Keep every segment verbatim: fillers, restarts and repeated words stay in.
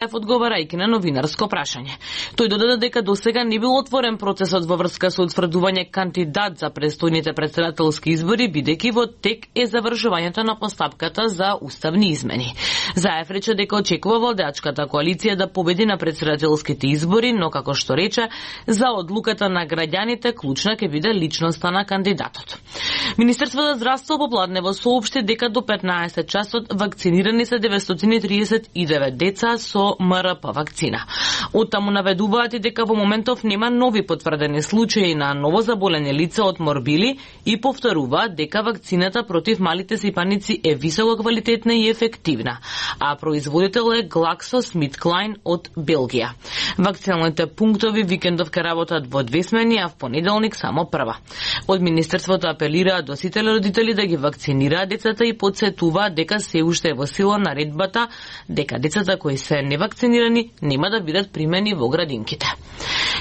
одговарајќи на новинарско прашање. Тој додаде дека досега не бил отворен процесот во врска со утврдување кандидат за престојните претседателски избори, бидејќи во тек е завршувањето на постапката за уставни измени. Заев рече дека очекува владеачката коалиција да победи на претседателските избори, но како што рече, за одлуката на граѓаните клучна ќе биде личноста на кандидатот. Министерството за здравство попладнево соопшти дека до петнаесет часот вакцинирани се деветстотини триесет и девет деца со М Р П вакцина. Оттаму наведуваат и дека во моментов нема нови потврдени случаи на новозаболени лица од морбили и повторуваат дека вакцината против малите сипаници е високо квалитетна и ефективна, а производител е GlaxoSmithKline од Белгија. Вакциналните пунктови викендов ке работат во две смени, а в понеделник само прва. Од министерството апелираат до сите родители да ги вакцинираат децата и подсетуваат дека се уште е во сила наредбата дека децата кои се невакцинирани нема да бидат примени во градинките.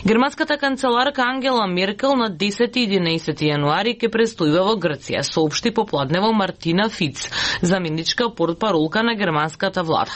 Германската канцеларка Ангела Меркел на десети и единаесети јануари ќе престојува во Грција, соопшти попладнево Мартина Фиц, заменичка портпаролка на германската влада.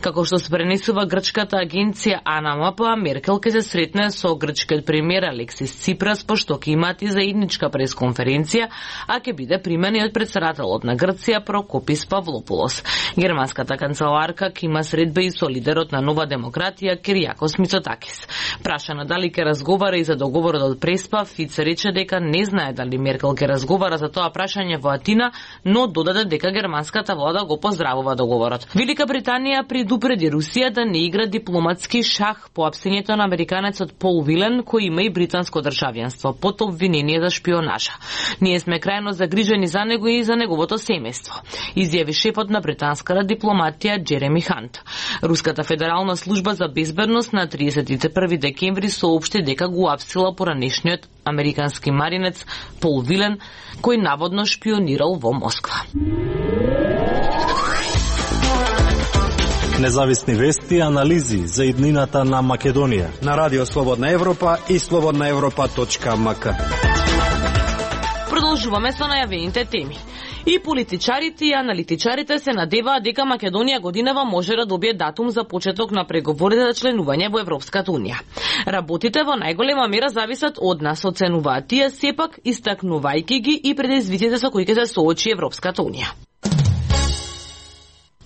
Како што се пренесува грчката агенција АНМП, Меркел ќе се сретне со грчкиот премиер Алексис Ципрас, пошто ќе имаат и заедничка пресконференција, а ќе биде примен и од претседателот на Грција Прокопис Павлопулос. Германската канцеларка ќе има средба и со лидерот на Нова демократија Киријакос Мицотакис. Прашана дали ќе разговара и за договорот од Преспа, Фиц рече дека не знае дали Меркел ќе разговара за тоа прашање во Атина, но додаде дека германската влада го поздравува договорот. Велика Британија предупреди Русија да не игра дипломатски шах по апсењето на американецот Пол Вилен, кој има и британско државјанство, под обвинение за шпионажа. Ние сме крајно загрижени за него и за неговото семејство, изјави шефот на британската дипломатија Джереми Хант. Руската федерална служба за безбедност на триесет и први декември соопшти дека го апсила поранешниот американски маринец Пол Вилен, кој наводно шпионирал во Москва. Независни вести и анализи за иднината на Македонија на Радио Слободна Европа и слободна европа точка м к. Продолжуваме со најавените теми. И политичарите и аналитичарите се надеваат дека Македонија годинава може да добие датум за почеток на преговорите за членување во Европската унија. Работите во најголема мера зависат од нас, оценуваат тие, сепак истакнувајќи ги и предизвиците со кои ќе се соочи Европската унија.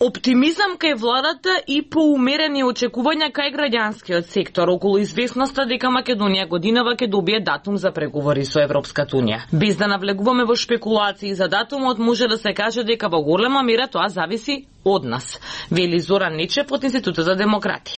Оптимизам кај владата и поумерени очекувања кај граѓанскиот сектор околу известноста дека Македонија годинава ќе добие датум за преговори со Европската унија. Без да навлегуваме во шпекулации за датумот, може да се каже дека во голема мера тоа зависи од нас, вели Зоран Нечев од Институтот за демократи.